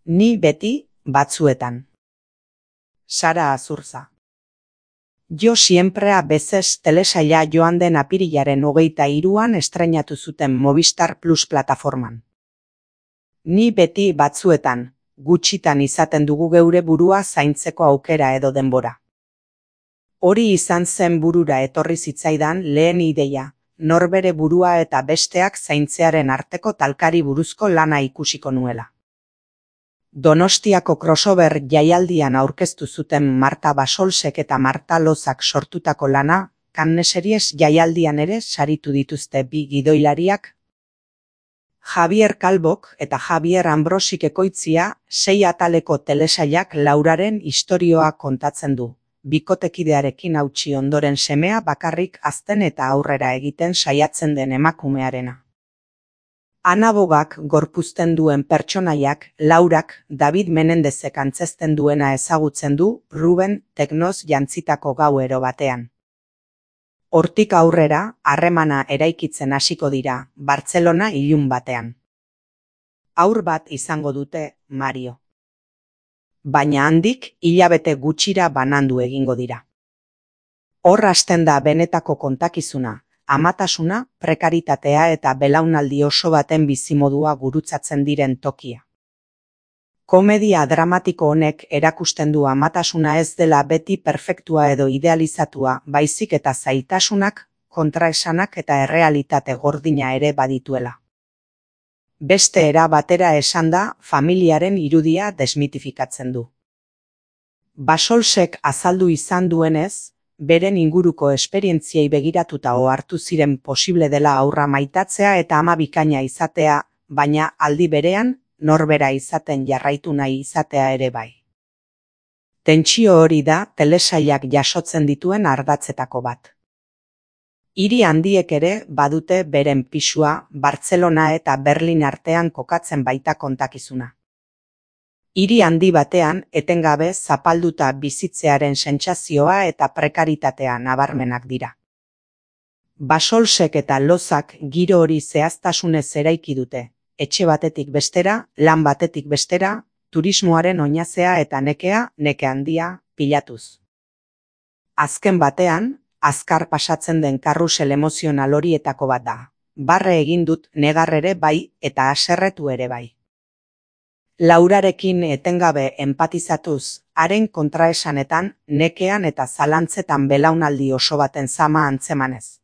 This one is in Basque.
Ni beti batzuetan. Sara Azurza. Yo siempre a veces telesaila joan den apirilaren 23an estreinatu zuten Movistar Plus plataforman. Ni beti batzuetan, gutxitan izaten dugu geure burua zaintzeko aukera edo denbora. Hori izan zen burura etorri zitzaidan lehen ideia, norbere burua eta besteak zaintzearen arteko talkari buruzko lana ikusiko nuela. Donostiako crossover jaialdian aurkeztu zuten Marta Basolsek eta Marta Lozak sortutako lana, Cannes Series jaialdian ere saritu dituzte bi gidoilariak. Javier Calvok eta Javier Ambrosik ekoitzia 6 ataleko telesailak Lauraren istorioa kontatzen du, bikotekidearekin hautsi ondoren semea bakarrik hazten eta aurrera egiten saiatzen den emakumearena. Ana Bogak gorpuzten duen pertsonaiak, Laurak David Menendezek antzezten duena ezagutzen du Ruben Teknoz jantzitako gauero batean. Hortik aurrera, harremana eraikitzen hasiko dira, Bartzelona ilun batean. Haur bat izango dute, Mario. Baina handik hilabete gutxira banandu egingo dira. Hor hasten da benetako kontakizuna, amatasuna, prekaritatea eta belaunaldi oso baten bizimodua gurutzatzen diren tokia. Komedia dramatiko honek erakusten du amatasuna ez dela beti perfektua edo idealizatua, baizik eta zailtasunak, kontraesanak eta errealitate gordina ere badituela. Beste era batera esanda, familiaren irudia desmitifikatzen du. Basolsek azaldu izan duenez, beren inguruko esperientziei begiratuta ohartu ziren posible dela haurra maitatzea eta ama bikaina izatea, baina aldi berean, norbera izaten jarraitu nahi izatea ere bai. Tentsio hori da telesailak jasotzen dituen ardatzetako bat. Hiri handiek ere badute beren pisua, Bartzelona eta Berlin artean kokatzen baita kontakizuna. Hiri handi batean etengabe zapalduta bizitzearen sentsazioa eta prekaritatea nabarmenak dira. Basolsek eta Lozak giro hori zehaztasunez eraiki dute, etxe batetik bestera, lan batetik bestera, turismoaren oinazea eta nekea, neke handia, pilatuz. Azken batean, azkar pasatzen den karrusel emozional horietako bat da. Barre egin dut negar ere bai eta haserretu ere bai. Laurarekin etengabe enpatizatuz, haren kontraesanetan, nekean eta zalantzetan belaunaldi oso baten zama antzemanez.